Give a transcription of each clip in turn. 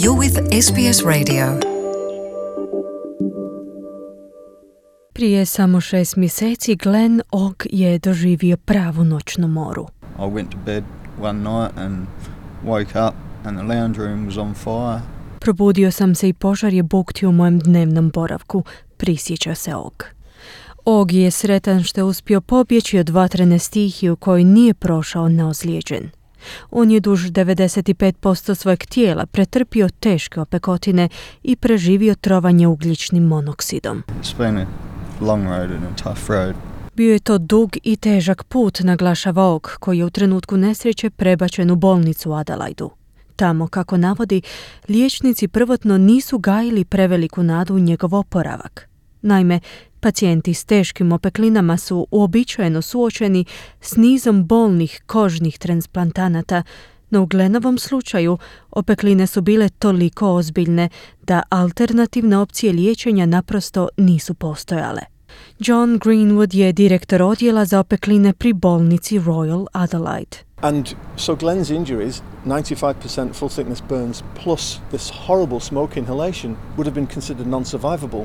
You're with SBS Radio. Prije samo 6 mjeseci Glenn Ogg je doživio pravu noćnu moru. I went to bed one night and woke up and the lounge room was on fire. Probudio sam se i požar je buktio u mojem dnevnom boravku, prisjeća se Ogg. Ogg je sretan što je uspio pobjeći od vatrene stihije u kojoj nije prošao neozlijeđen. On je duž 95% svojeg tijela pretrpio teške opekotine i preživio trovanje ugljičnim monoksidom. It's been a long road and a tough road. Bio je to dug i težak put, naglašava Ogg, koji je u trenutku nesreće prebačen u bolnicu u Adelaidu. Tamo, kako navodi, liječnici prvotno nisu gajili preveliku nadu u njegov oporavak. Naime, pacijenti s teškim opeklinama su uobičajeno suočeni s nizom bolnih kožnih transplantanata, no u Glennovom slučaju opekline su bile toliko ozbiljne da alternativne opcije liječenja naprosto nisu postojale. John Greenwood je direktor odjela za opekline pri bolnici Royal Adelaide. And so Glenn's injuries, 95% full thickness burns plus this horrible smoke inhalation would have been considered non-survivable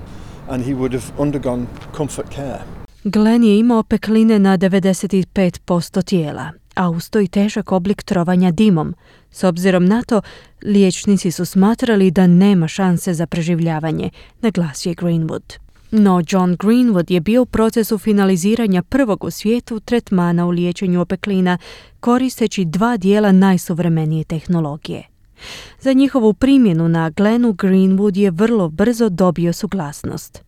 and he would have undergone comfort care. Glenn je imao opekline na 95% tijela, a uz to i težak oblik trovanja dimom. S obzirom na to, liječnici su smatrali da nema šanse za preživljavanje, naglasio je Greenwood. No John Greenwood je bio u procesu finaliziranja prvog u svijetu tretmana u liječenju opeklina koristeći 2 dijela najsuvremenije tehnologije. Za njihovu primjenu na Glennu Greenwood je vrlo brzo dobio suglasnost.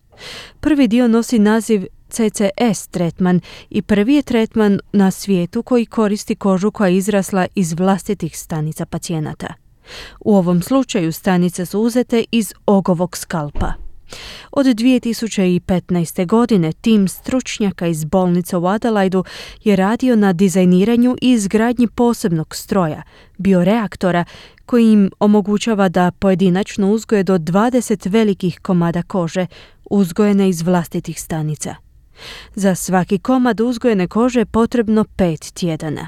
Prvi dio nosi naziv CCS tretman i prvi je tretman na svijetu koji koristi kožu koja je izrasla iz vlastitih stanica pacijenata. U ovom slučaju stanice su uzete iz Oggovog skalpa. Od 2015. godine tim stručnjaka iz bolnice u Adelaidu je radio na dizajniranju i izgradnji posebnog stroja, bioreaktora, koji im omogućava da pojedinačno uzgoje do 20 velikih komada kože uzgojene iz vlastitih stanica. Za svaki komad uzgojene kože je potrebno 5 tjedana.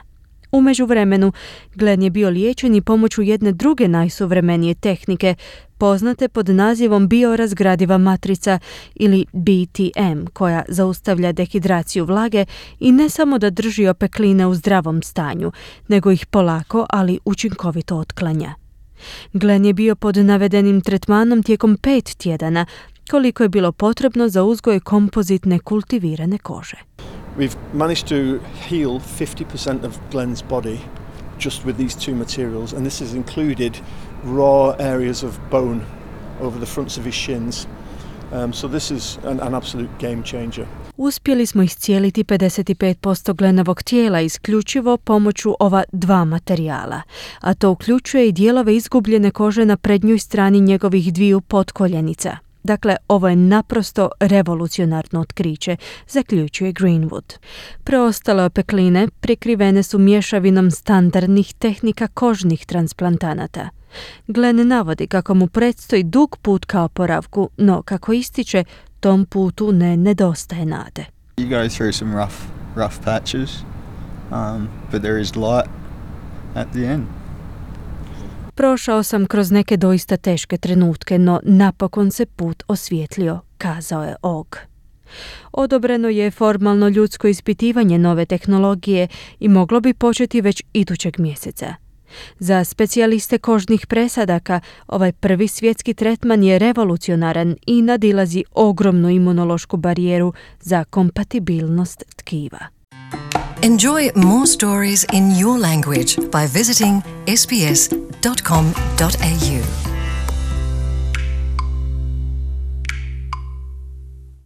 U međuvremenu, Glenn je bio liječen i pomoću jedne druge najsuvremenije tehnike, poznate pod nazivom biorazgradiva matrica ili BTM, koja zaustavlja dehidraciju vlage i ne samo da drži opekline u zdravom stanju, nego ih polako, ali učinkovito otklanja. Glenn je bio pod navedenim tretmanom tijekom 5 tjedana, koliko je bilo potrebno za uzgoj kompozitne kultivirane kože. We've managed to heal 50% of Glenn's body just with these 2 materials, and this has included raw areas of bone over the fronts of his shins. So this is an absolute game changer. Uspjeli smo iscijeliti 55% Glennovog tijela isključivo pomoću ova 2 materijala, a to uključuje i dijelove izgubljene kože na prednjoj strani njegovih 2 potkoljenica. Dakle, ovo je naprosto revolucionarno otkriće, zaključuje Greenwood. Preostale opekline prekrivene su mješavinom standardnih tehnika kožnih transplantanata. Glenn navodi kako mu predstoji dug put ka oporavku, no kako ističe, tom putu ne nedostaje nade. You go through some rough patches, but there is light at the end. Prošao sam kroz neke doista teške trenutke, no napokon se put osvijetlio, kazao je Ogg. Odobreno je formalno ljudsko ispitivanje nove tehnologije i moglo bi početi već idućeg mjeseca. Za specijaliste kožnih presadaka ovaj prvi svjetski tretman je revolucionaran i nadilazi ogromnu imunološku barijeru za kompatibilnost tkiva. Enjoy more stories in your language by visiting sbs.com.au.